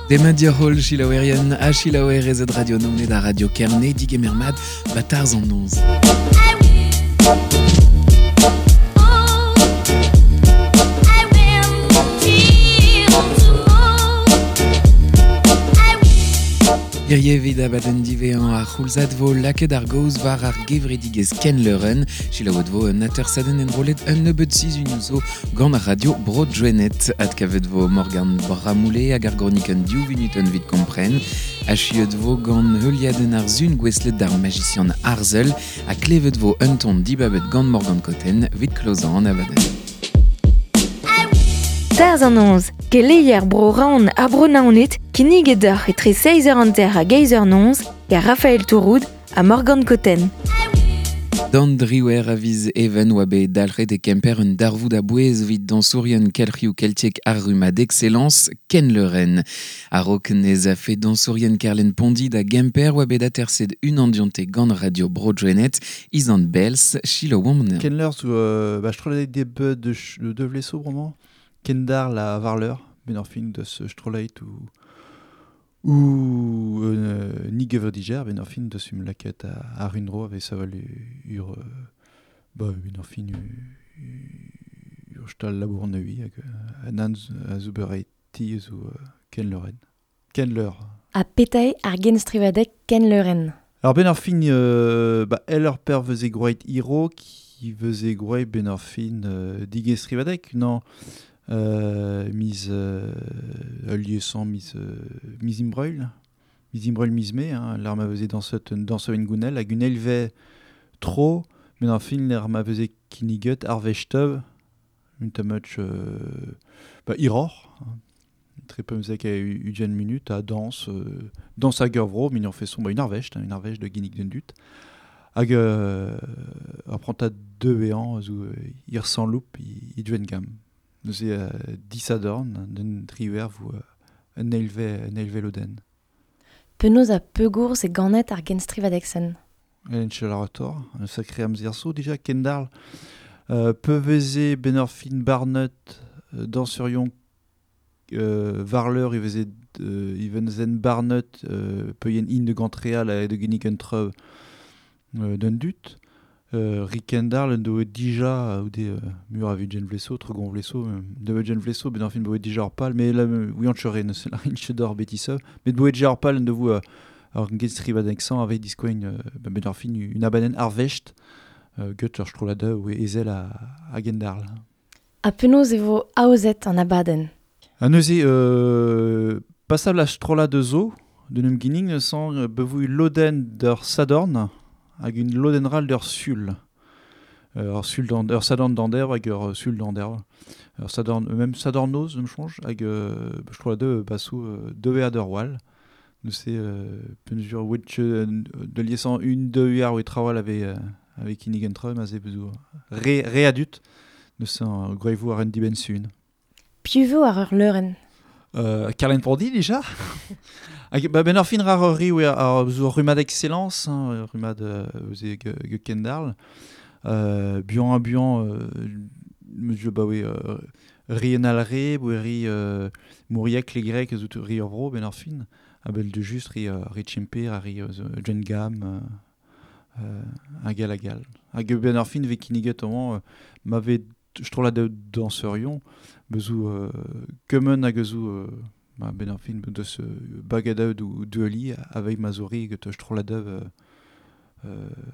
Demat dioc'h selaouerien ha selaouerezed Radio Naoned ha Radio Kerne digemer mat ba tarzh an noz. Hirie evit abadenn diwezhañ ar c'houlzad vo lakaet ar gaoz war ar gevredigezh Ken Leuren. Selaouet vo un atersadenn enrollet un nebeud sizhunioù zo gant ar radio Bro Drennet. Adkavet vo Morgan Bramoulet hag ar gronikenn div vunutenn evit kompren. Achuet vo gant heuliadenn ar sun gouestlet d'ar magician Arzel ha klevet vo un ton dibabet gant Morgan Cotten evit klozañ an abadenn. Tarzh an noz, keleier bro Raon ha bro Naoned, kinniget deoc'h etre 6h50 hag 8h noz gant Raphaël Touroud ha Morgan Cotten. D'an driwer a viz even oa bet dalc'het e Kemper un darvoud a bouez evit dansourien kelc'hioù keltiek ar rummad Excellence Ken Leuren. A-raok nez a fe dansourien Kerlen Pondi da Gemper oa bet aterset un andionte gant radio Bro Drennet, Izan Bels, Chilo Womner. Ken leur zo ba strollad de de, de de vleso bremañ Kendar la varleur ben ar fin deus strollad ou ou ni gevrediger ben ar fin deus um laket a, a rundro ave saval ur ba ben ar fin ur stal labour neui hag an a zo ti zo Ken Leuren. Ken Leur. A petae ar genstrivadeg Ken Leuren. Alors ben ar fin ba el ur per veze groet hiro qui veze groet ben ar fin digestrivadeg non miz ul liesan miz miz imbreul miz imbreul miz me hein, l'ar ma veze dansot dansot en gounel hag un elve tro ben ar fin l'ar ma veze kinniget ar vechteuv un tamuch ba iror hein. Très peu mzek a ugen minute a danse danse hag ur vro min fait son ba une arvecht hein, une arvecht de ginnig den dut hag ar prantad deux an zo ir sans loup i duen gam neuze disadorn den triwer vo un elve un elve loden. Penaos a pegourz e ganet ar genstrivadeg sen. En chelarator, un sacré amzer zo déjà Kendall peuveze ben ar fin barnet dansurion varleur i veze i venzen barnet peuien in de gantreal a de ginnig un treuv d'un dut. Rikendal en doe dija ou de mur a jen vleso, tregon vleso, de jen vleso, ben ar fin boe dija ar pal, mais là, oui, an chere, ne se la rin d'or betisseu, mais boe dija ar pal en devo ar genstrivadeg sang avec diskoin ben ar fin une abadenn arvecht get ur strollad ou ezel a, a Gendarl. A penaos e vo aozet an abadenn. A neuze passable a strollad zo de num ginning sang bevu loden d'ur sadorn hag un loden ral d'ur sul. Ur sul d'an ur sadorn d'an hag ur sul d'an Ur sadorn même sadorn noz me change hag strollad de basou deux a d'ur wal. Neuze penjur wetch de liesan une deux ar ou trawal avec avec kinnig an treum aze bezou re re adut neuze an groevo ar un dibenn sun. Piv vo ar ur leuren. Carlen Pondi déjà. Hag ba ben ar fin rar ur ri oe ar zo rummad excellence hein, rummad eus e ge, Kendall. Buan a buan monsieur ba oe ri en alre, boe ri Mouriac le grec zo ri ur vro ben ar fin. A bel de just ri ri Chimper a ri Jen Gam hag al hag al. Hag ben ar fin ve kinniget amañ ma ve strollad de danserion bezou kemen hag zo ma ben ar fin deus bagadaud ou dueli avec mazori get strollad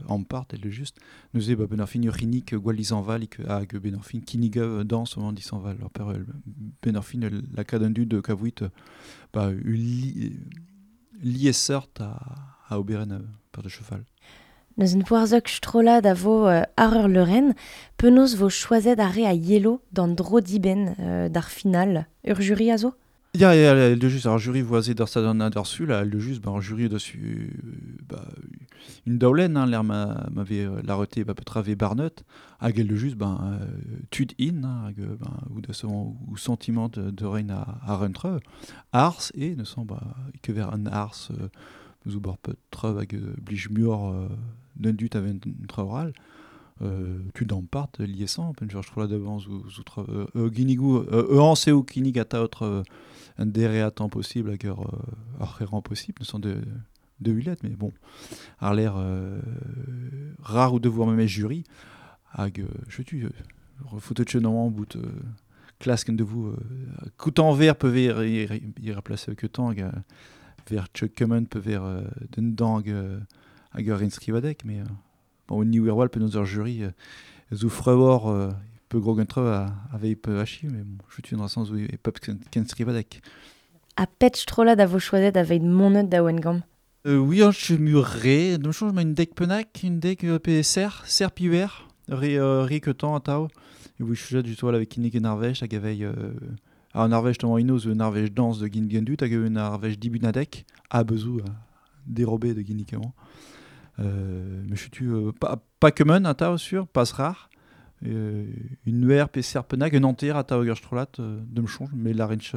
ampart el just neuze ba ben ar fin ur c'hinnig gwall disanval hag ben ar fin kinnig dans au disanval ur per ben ar fin la kadenn du de kavouit ba ul li, liesseurt a oberen per de cheval. Neus un poarzok strollad a vo ar ur leuren, penaos vo choazet ar re a yelo d'an dro dibenn d'ar final. Ur jury a zo? Ya, ya, el de just, ar jury voazet d'ar stad an d'ar sul, el de just, ba, ar jury da su, ba, une daolen, hein, l'air m'avait la rete, ba, petra ve barneut, hag el de just, ben, tud in, hein, hag, ben, ou da son, ou sentiment de rein a rentre, ars, e, ne sent, ba, ke ver an ars, zo bar petra hag blij muor d'un dut aven traoral, tud an part liesant, pen je trola devant zo tra, ginigou, an seo kinig ata autre un déréatant possible hag ur c'herant possible, ne sont de huilet, mais bon, ar l'air rare ou devoir même jury, hag je tu refoute chenon bout klask de vous coutant ver peut ver y remplacer que tant hag ver Chuck Cummon peut ver den dang hag ur inskrivadek, mais bon, ni wirwal peut nous jury zo frewor peu gros gentre avait peu hachi, mais bon, je suis dans sens où e pep ken skrivadek. A pet trollad a vo choazet aveit monet da Wengam? Oui, je muré, de change une deck penak, une deck PSR, ser piwer, re que tant atao. Et oui, je suis du toit avec Nick Narvej, hag avei ar Narvej tamm inoz, Narvej danse de Gin Gendut, hag Narvej dibunadek, a bezou dérobé de Ginikement. Mais je suis pas commun atao sur, pas rare. Une nuer PSR penak, un enter atao gerstrolat de me change, mais la rinche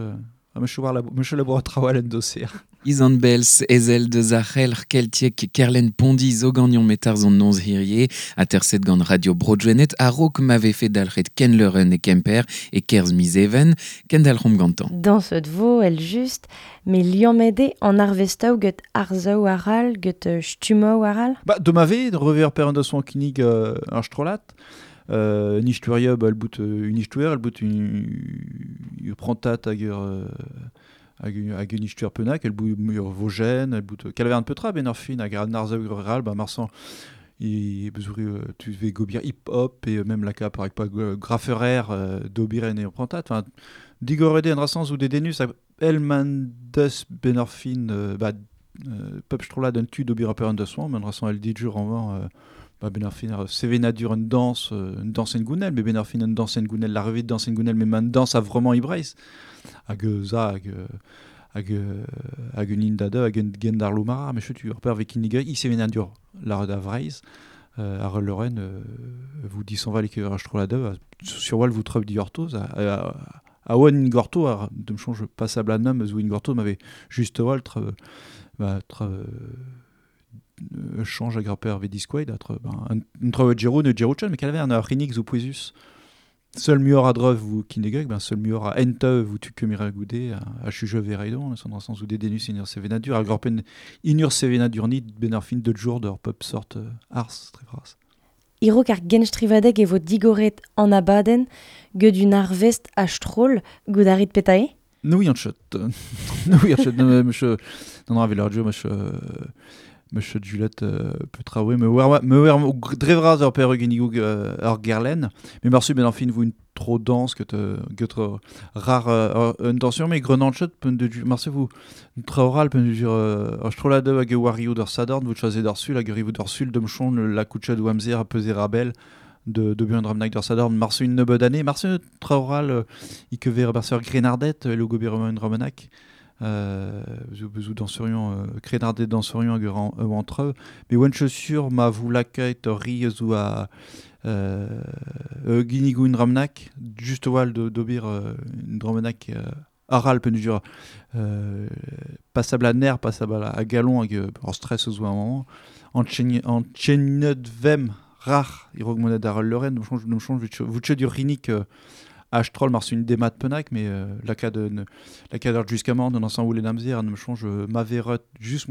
Monsieur laboratoire en dossier. Izan Bels, ezel de Zachel, Keltiek, Kerlen Pondi, Zogagnon metar zon nonz hirie, a terset gant Radio Bro-Gwened, a rok m'ave fait dalret Ken Leuren e Kemper e Kerz Mizeven, ken dalc'homp gantan. Dans ce vo, el juste, mais liammede en arvestaou get arzaou aral, get stumaou aral? Ba, de m'ave, de rever per un son kinig ar strolat. Nichturia, ba, el bout une histoire, el bout une prantat hag ur hag une histoire penak, el bout ur vogen, el bout kalver un peu tra ben ur fin hag ar arzaou rural, ba marsan i bezouri tu ve gobir hip hop et même la cap avec pas grafferer d'obir en prantat, enfin digorede en rasans ou des denus el man deus ben ur fin ba pep strola d'un tu d'obir per un de soin, men rasan el dijur en vent ba ben ar fin ar sevenadur un danse en gounel, mais ben ar fin un danse en gounel, la revue de danse en gounel, mais man danse a vraiment ibreiz. Hag za, hag hag un indade, hag un gendar lomara, mais chetu, ur per vek iniga, i sevenadur la da vreiz, ar Lorraine, vous dit s'en va les que ar la sur wal vous treup di ortoz, a oan ingorto, ar de me change passable à nom, zou ingorto m'avait juste wal tre, ba, tre, change a grapper ve disquaid atre ben un treuv gero ne gero chen mais kalver un ar zo pouezus seul muor a dreuv vous kinegeg ben seul muor a ente vous tu kemira goude a chuge vereidon son dans sens ou des denus inur sevenadur a grappen inur sevenadur nit ben ar fin de jour d'ur pop sort ars très bras. Iro kar genstrivadeg e vo digoret an abaden get un arvest a stroll goudarit petae? Nou yan chet. Nou yan chet monsieur non non avec monsieur Monsieur Juliette petra me wer me wer drevraz ur per ginigou ur gerlen, mais marsu ben enfin vous une trop dense que te rare un tension mais grenant chet pen de marsu vous traoral pen de ur strola de hag wario d'ur sadorn vous choisez d'ur sul hag rivo d'ur sul de mchon la koucha de amzer a peser rabel de bien dramnak d'ur sadorn marsu une nebeud année marsu traoral i que ver barser grenardet le gober un dramenak zo bezou danserion krenardet danserion hag ur entre mais oan chaussure ma vous laket ri zo a ginigou un dramnak juste wal d'obir un dramnak aral pen jur passable a ner passable a galon hag ur stress zo un moment en chenet vem rar irog monet ar Lorraine change change vous du rinik H-troll mar une démat penak mais la cade la cade jusqu'à mort dans ensemble les namzer ne change ma verrot juste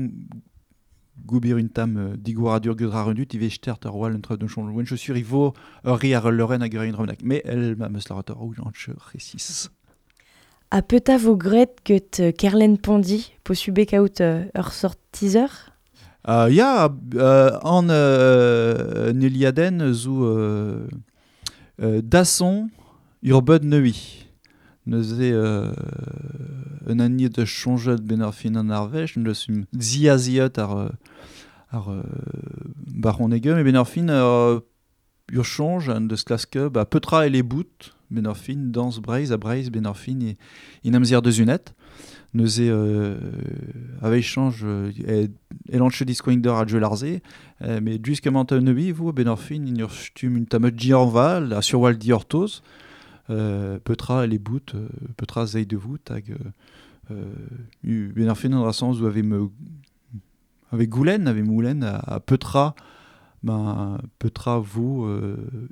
goubir une tam digouradur gedra rendut il vechter ter wal entre de change wen chaussure il vaut ri ar Lorraine hag ur dramenak mais elle ma meus la rotor ou anche récis. A peta vo gret get Kerlen Pondi posube kaout ur sort teaser? Ya an Neliaden zo dasson ur bud neui. Neuze un annie de changet ben ar fin an arvech, neus um ziaziot ar baron ege, mais ben ar fin ur change an deus klaske, ba petra e les bout, ben ar fin, dans Breizh a Breizh ben ar fin e, in amzer deus unet. Neuze ave change e lanche diskoing d'ur a Larze, mais jusqu'à maintenant nebi vous ben ar fin in ur stum un tamet diorval a surwal diortoz, petra les bout, petra zei de vous hag ben ar fin an rasans ou ave me avec goulen, avec moulen a petra ben petra vous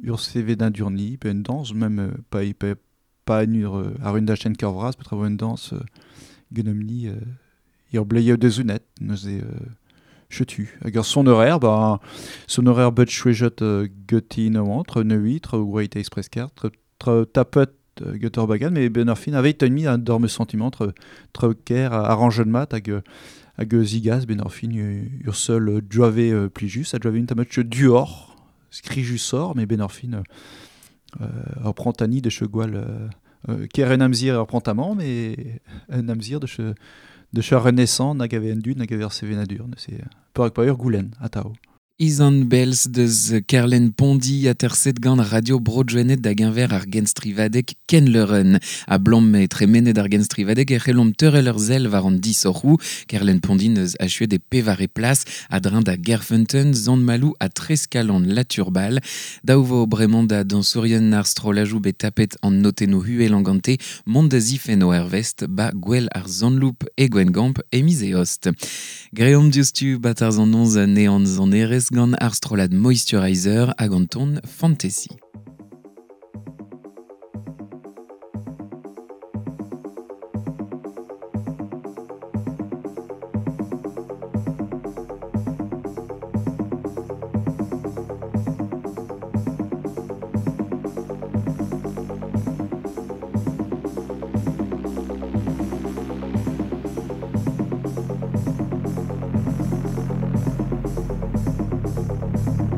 ur CV d'indurni, pe une danse même pas pas pas ur ar un dachen kervras, petra vo une danse genomni ur bleio de zounet, neuze chetu. Hag ur son horaire, ben son horaire bet chouejet geti no entre ne 8 tre Great Express Card, tre tapet get ur bagan, mais ben ar fin avec un mi un dorme sentiment tre tre ker arrange mat hag hag zigaz ben ar fin ur seul joave plijus, a joave un tamet duor, skrijus sor, mais ben ar fin ur prantani de che gwall ker un amzir ur prantamant, mais un amzir de che renaissant nag ave en dud nag ave ar sevenadur, c'est peur pa ur goulen, atao. Izan Belz deus Kerlen Pondi a terset gant Radio Bro-Gwened da genver ar genstrivadeg Ken Leuren. A blom e tremenet ar genstrivadeg e c'hellomp teurel ur zel war an disorc'hou. Kerlen Pondi neus achuet e pevare plas a drin da Gerfeunteun, Zant-Malou a Treskalon Laturbal. Daou bremañ da dansourien ar strolajou bet tapet an notenno huel an gante mont da zifen o ervest ba gwell ar Zantloup e Gwengamp e mizeost. Greomp diouzhtu bat ar zan nean zanerez gant ar strolad Moisturizer hag an ton Fantasy.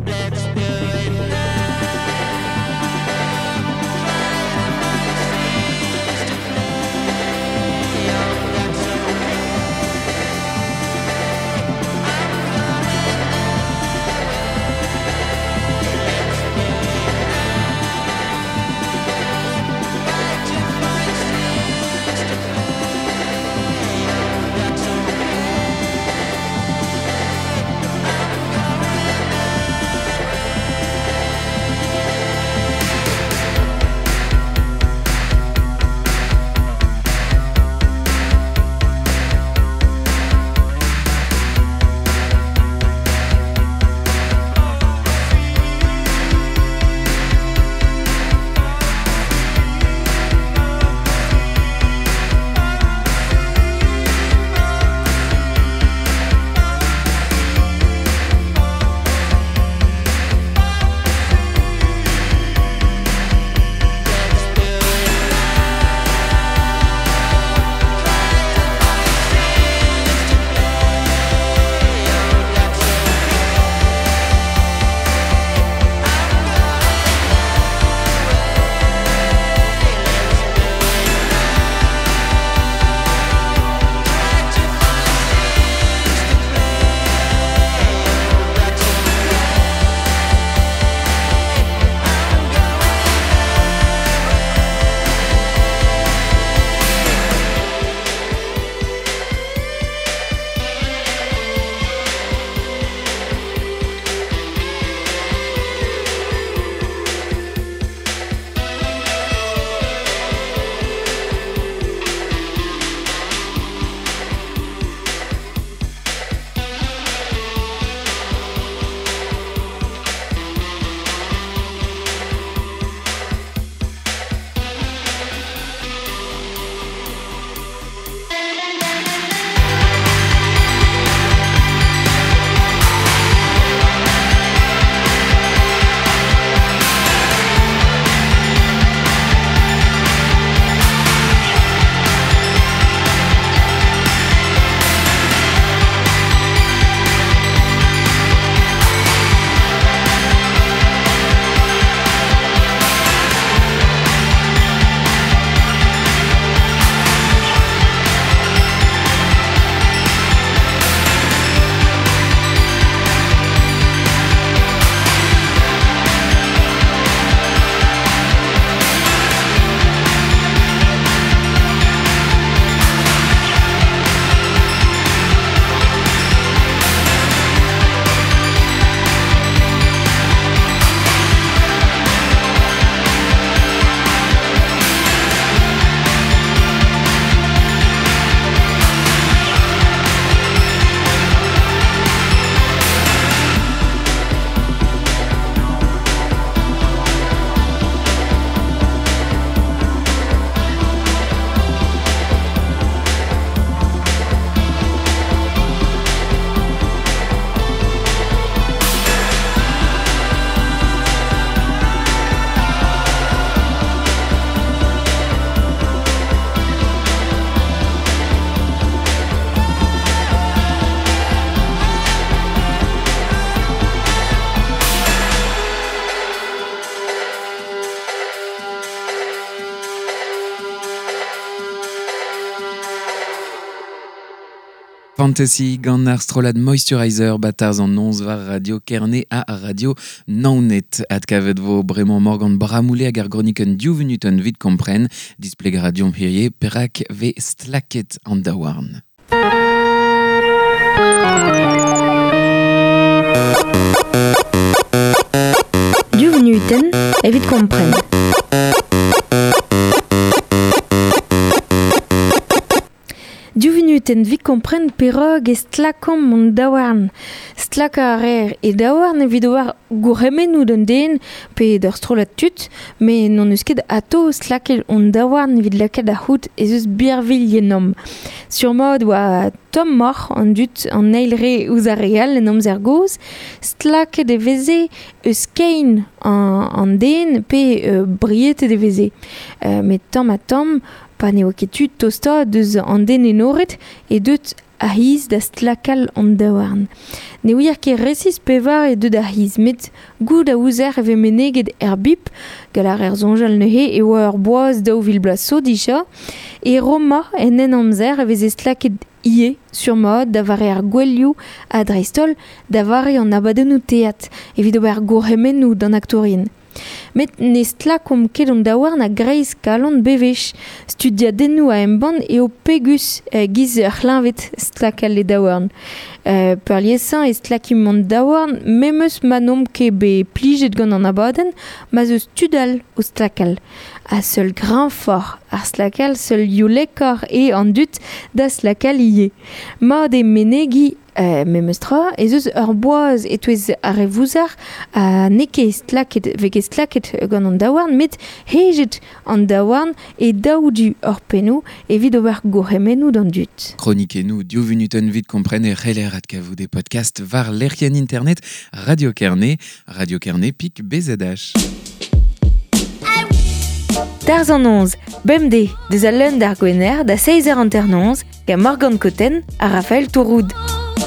Let's do it now. Fantasy gant ar strollad Moisturizer batarz an nonz war Radio Kerne ha Radio Naoned. Adkavet vo bremañ Morgan Bramoulé hag ar groniken div vunuten vid kompren. Displeg radio hirie perak ve stlaket an daouarn. Div vunuten evit kompren. Div vunuten vit kompren perog e stlakomp mon daouarn. Stlaka a rer e daouarn evit ober gourc'hemennoù d'an den pe d'ur strollad tud, met n'on eus ket atao stlakel hon daouarn evit lakaat ar c'hout ez eus birvilh ennomp. Surmat oa tommoc'h an dud an eil re ouzh ar re all en amzer gozh, stlaket e veze eus kein an den pe brietet e veze. Met tamm ha tamm, pa n'eo ket tud tostaat deus an den enoret e deut a hiz da stlakal an daouarn. Ne ouier ket resis pevar e deut a hiz, met goud a ouzer e ve meneget er bip, gant ar er soñjal neuze e oa ur boaz daou vil bloaz zo dija, e Roma en en amzer e veze stlaket ie surmat da vare ar gwelioù ha dreist-holl da vare an abadennoù teat evit ober gourc'hemennoù d'an aktourien. Met ne stlakomp ket an daouarn a greiz kalon bevech. Studiadennoù a embann eo pegus giz ur c'hleñved stlakal e daouarn. Peurliesañ e stlakimp an daouarn memes ma n'omp ket bet plijet gant an abadenn ma 'z eus tud all o stlakal. Ha seul greñvoc'h ar stlakal, seul youlekoc'h eo an dud da stlakal ivez. Mat eo menegiñ memes tra, ez eus ur boaz e-touez ar re vouzar ha n'eo ket stlaket, vez ket stlaket gant an daouarn, met hejet an daouarn e daou du ur pennoù evit ober gourc'hemennoù d'an dud. Kronikennoù div vunuten vit kompren e c'heller adkavout e podcast war lec'hienn internet Radio Kerne, Radio Kerne pik BZH. Tarz an 11, bemdez, deus al leun d'ar Gwener da 6h59 gant Morgan Cotten ha Raphaël Touroud.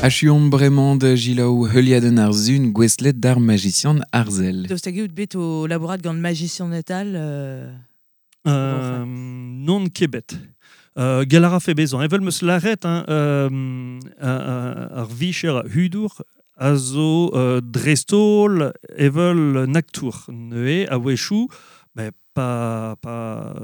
Achuomp bremañ da Gilaou heuliadenn ar zun gouestlet d'ar magician Arzel. Daoust hag eo bet o labourat gant magician etal Non ket. Gall a rafe bezañ. Evel meus lâret, hein, ar vicher hudour a zo dreist-holl evel un aktour. Neuze, a-wechoù, ben, pa pa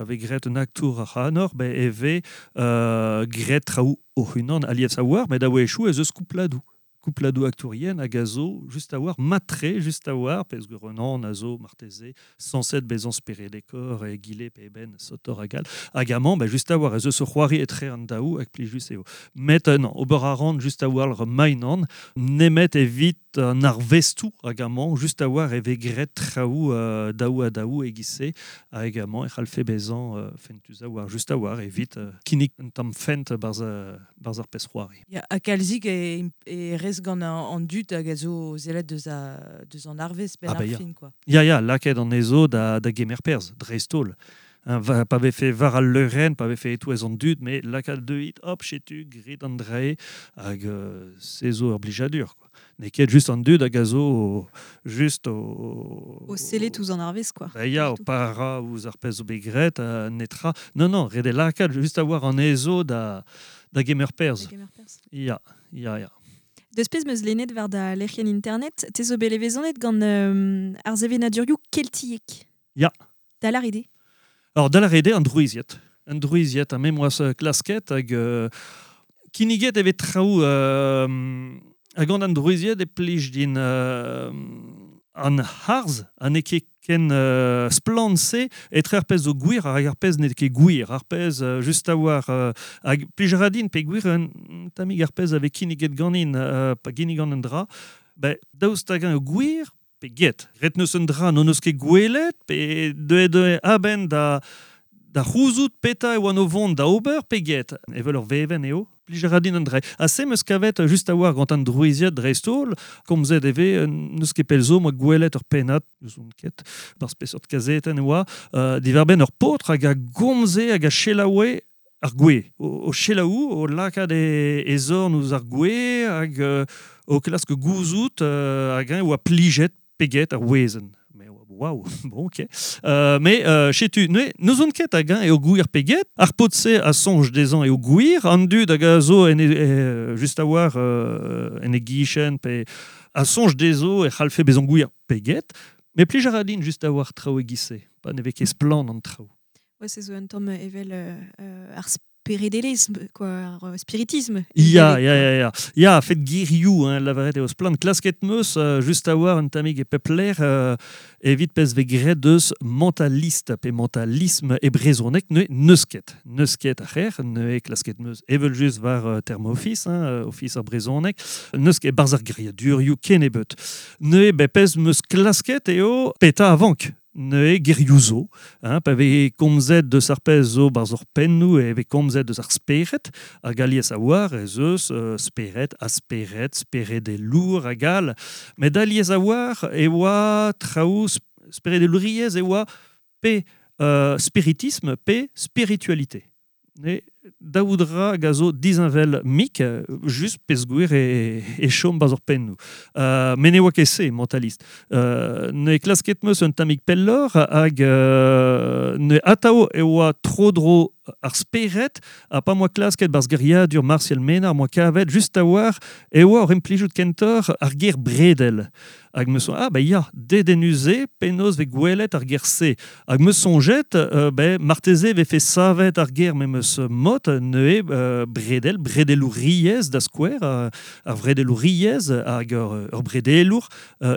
vez graet un aktour ar c'hanor, ben, e vez graet traoù o-unan alies a-war, met a-wechoù ez eus koupladoù. Koupladoù aktourien hag a zo just a-war, matre just a-war, pezh Renan a zo marteze sañset bezañ speredekor e gile pe eben sotor hag all. Hag amañ, ben, just a-war ez eus ur c'hoari etre an daou hag plijus eo. Met non, ober a ran just a-war mainan, nemet evit an arvestoù hag amañ, just a-war e vez graet traoù daou ha daou e-giz-se, hag amañ e c'hallfe bezañ fentus a-war, just a-war evit kinnig un tamm fent barzh ar pezh c'hoari. Ya, ha kalzik e rez gant an dud hag a zo zelet deus an arvez ben ar fin, quoi. Ya, ya, lakaet an ezo da gemer perzh, dreist-holl. Pa vefe war al leurenn, pa vefe e-touez an dud, met lakaat deuit, hop, chetu, grit an drae, hag se zo ur blijadur, quoi. N'eo ket just an dud hag a zo just o... O sellet ouzh an arvez, quoi. Ba ya, o para ouzh ar pezh zo bet graet, netra. Non, non, ret eo lakaat just a-war an ezo da gemer perzh. Da gemer perzh. Ya, ya, ya. Deus pezh meus lennet war da lec'hienn internet, te zo bet levezonet gant ar sevenadurioù keltiek. Ya. Da lâret eo. Alors, da lâret eo an drouizied. An drouizied, ha me moas klasket hag kinniget e vez traoù hag gant an drouizied e plij din an harz, ha n'eo ket ken splann-se etre ar pezh zo gwir hag ar pezh n'eo ket gwir. Ar pezh just a-war hag plij a ra din pe gwir un tammig ar pezh a vez kinniget ganin pa ginnigan un dra, ben, daoust hag eo gwir pe get. Ret neus un dra n'hon eus ket gwelet pe deuet a-benn da c'houzout petra e oan o vont da ober pe get. Evel ur vevenn eo, plij a ra din an dra. Ha se meus kavet just a-war gant an drouiziad dreist-holl, komzet e vez, n'eus ket pell zo, moa gwelet ur pennad, n'eus on ket, bar spesort kazetenn e oa, diwar-benn ur paotr hag a gomze hag a selaoue ar gwez. O selaou, o lakaat e zorn ouzh ar gwez hag o klask gouzout hag eñ oa plijet pe get ar wezenn. Waouh, bon, ok. Mais chetu, ne nous on ket hag eo gouir peget, ar pot-se a sonj dezhañ eo gouir, an dud hag a zo en just a war en e gichen, pe a sonj dezo e c'hallfe bezan gouir peget, mais plij a ra din just a war traoù e gise, pa ne vez ket splann an traoù. Ouais, c'est zo un tamm evel ar speredelezh, quoi, ar spiritisme. Ya, ya, ya, ya. Ya, fet girioù, hein, lavaret eo splann. Klasket meus, just a war un tammig e pepler, evit pez ve graet deus mentaliste, pe mentalisme e brezhoneg, ne neus ket. Neus ket ar c'her, ne klasket meus evel just war term office, hein, office ar brezhoneg, neus ket barz ar geriadurioù ken ebet. Ne be pez meus klasket eo peta avank. Ne gerioù zo, hein, pa vez komzet deus ar pezh zo barz ur pennoù e vez komzet deus ar spered, hag alies a war ez eus spered, a spered, speredelour hag all. Met alies a war e oa traoù speredelouriezh e oa pe spiritisme pe spiritualité. Ne daoudra hag a zo dizinvel mik, just pezh gwir e chom baz ur pennoù. Met ne oa ket se, mentalist. Ne klasket meus un tammig pellor hag ne atao e oa tro-dro ar spered ha pa moa klasket barz geriadur Martial Ménard moa kavet just a war e oa ur implijout kentor ar ger bredel. Hag me son, ah ba ya, dedenuse penaos ve gwelet ar ger se. Hag me sonjet, ben, marteze ve fe savet ar ger me meus mot neue bredel, bredelouriez da skouer, ar vredelouriez hag ur bredelour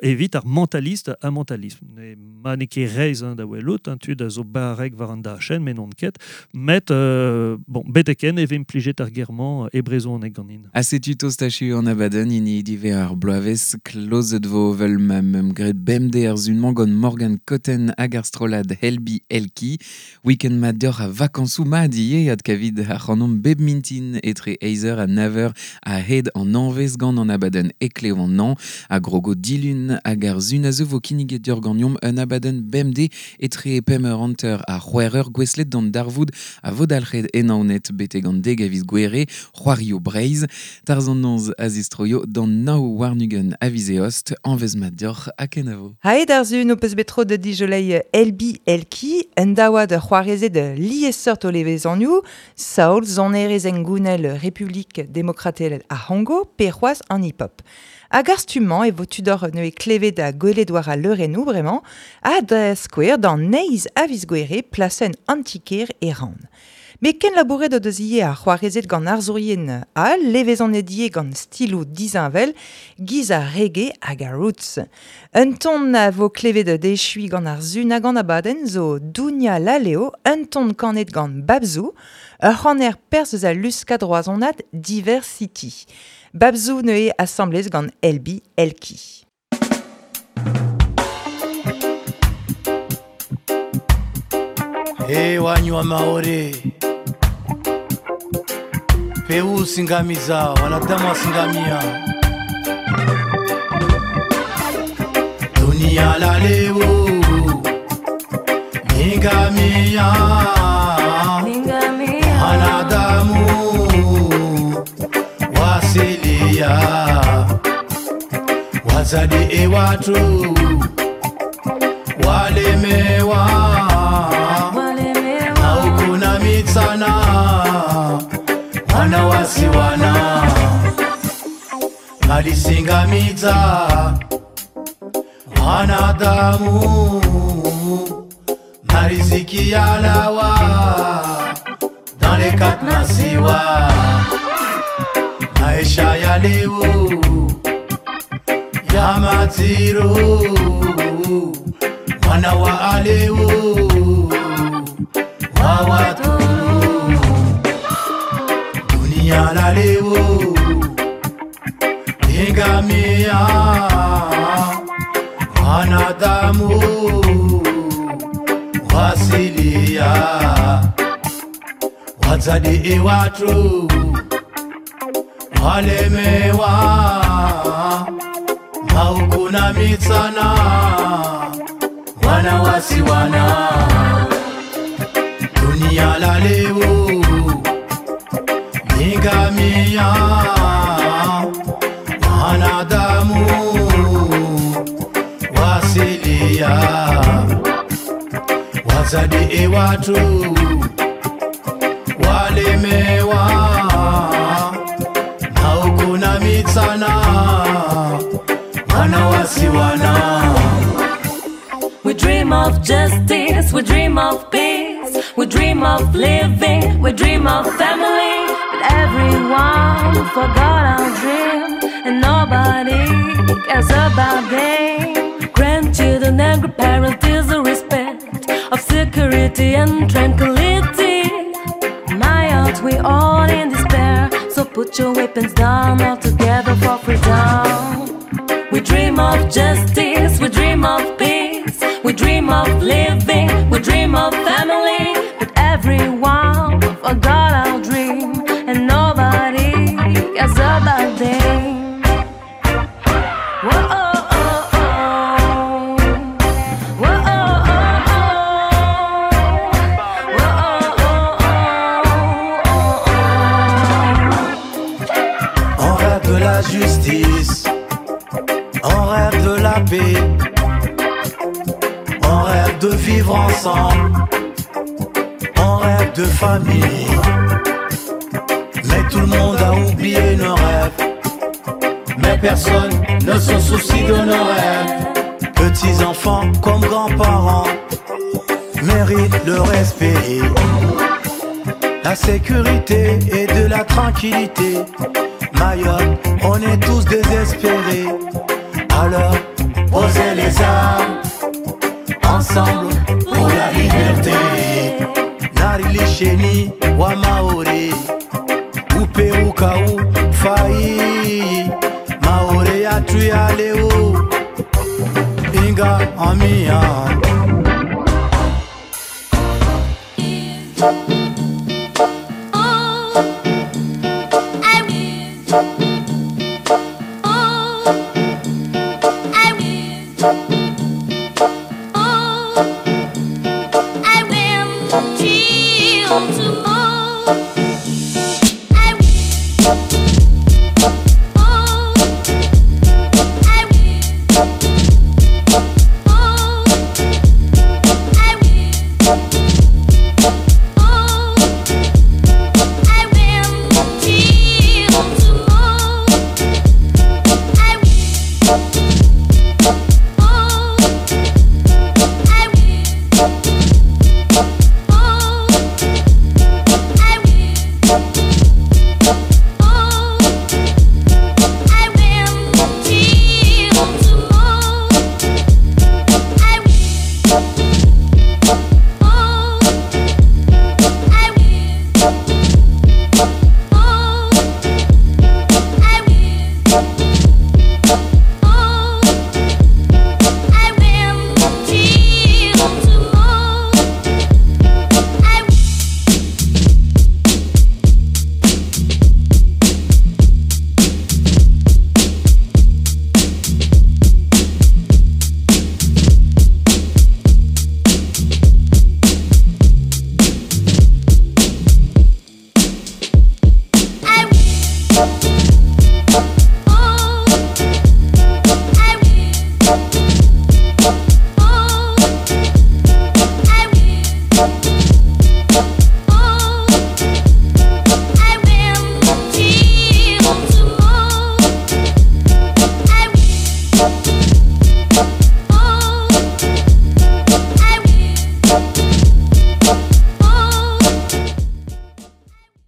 evit ar mentaliste a mentalisme. Ne ma ne ket reizh, hein, da welout, hein, tud a zo barrek war an dachenn, met n'on ket, met bon, beteken e vez implijet ar germañ e brezhoneg ganin. Ha setu tostachu an abadenn hini dive ar bloavezh klozet vo vel ma meum graet bemde ar zunmañ gant Morgan Cotten hag ar strollad Helbi Elki. Week-end mat deoc'h a vakañsoù mat ivez ad kavid ar c'hanomp bep mintin etre eizer ha naver a hed an anvez gant an abadenn eklev an an ha grogo dilun hag ar zun a zo vo kinniget deoc'h ganeomp un abadenn bemde etre pemp eur hanter ha c'hwec'h eur gouestlet d'an darvoud a vo dalc'het enaonet betek an deg a viz Gouere, c'hoario Breizh, tarz an noz a zistroio d'an nao warnugen a viz eost, anvez mat deoc'h ha kenavo. Haet ar zun o peus bet tro de dijolei Elbi Elki, en daouad c'hoarezet liesseurt o levezanioù, Saol, zonerez engounel Republik Demokratel ar C'hongo, pe c'hoazh an hip-hop. Hag ar stummañ e vo tudor neue klevet da gwelet war a leurennoù bremañ, ha da skouer d'an neiz a viz Gouere plasenn antiker e ran. Me ken labouret o deus ivez ar c'hoarezet gant arzourien all, levezon edie gant stiloù dizinvel, giz ar reggae hag ar roots. Un ton a vo klevet d'echui gant ar zun hag an abadenn zo Dounia Laleo, un ton kanet gant Babzou, ur c'haner perz eus a luskad roazhonad Diversity. Babzou neue assemblez gant Elbi Elki. Hey, wanywa maore peu singamiza wanadamu wasingamia dunia la leo ningamia wanadamu wasilia wazadi e watu walemewa haukuna mitsana wana wasiwana malisingamidza wanadamu mariziki yalawa dans les quatre masiwa maisha ya leo ya matiro mwana wa aleo wa watu dunia la leo ingamia wanadamu wasilia wazadi e watu walemewa maukuna mitsana wana wasiwana dunia la leo ningamia wanadamu wasilia. Wazadi e watu walemewa na mitsana wana wasiwana. We dream of justice, we dream of peace, we dream of living, we dream of family. But everyone forgot our dream, and nobody cares about them. Grandchildren and grandparents deserve respect of security and tranquility. My heart, we all in despair. So put your weapons down, all together for freedom. We dream of justice, we dream of peace, we dream of living, we dream of family. But everyone forgot our dream, and nobody cares about them. Whoa, oh, oh, oh. Whoa, oh, oh, oh. Whoa, oh, oh, oh, oh. On rêve de la justice, on rêve de la paix, on rêve de vivre ensemble, on rêve de famille. Mais tout le monde a oublié nos rêves, mais personne ne se soucie de nos rêves. Petits enfants comme grands-parents méritent le respect, la sécurité et de la tranquillité. Mayotte, on est tous désespérés. Alors, posez les armes, ensemble pour la liberté. Narilisheni wa Maori, Upe ukau fai, Maori ya tuyaleo, Inga amia.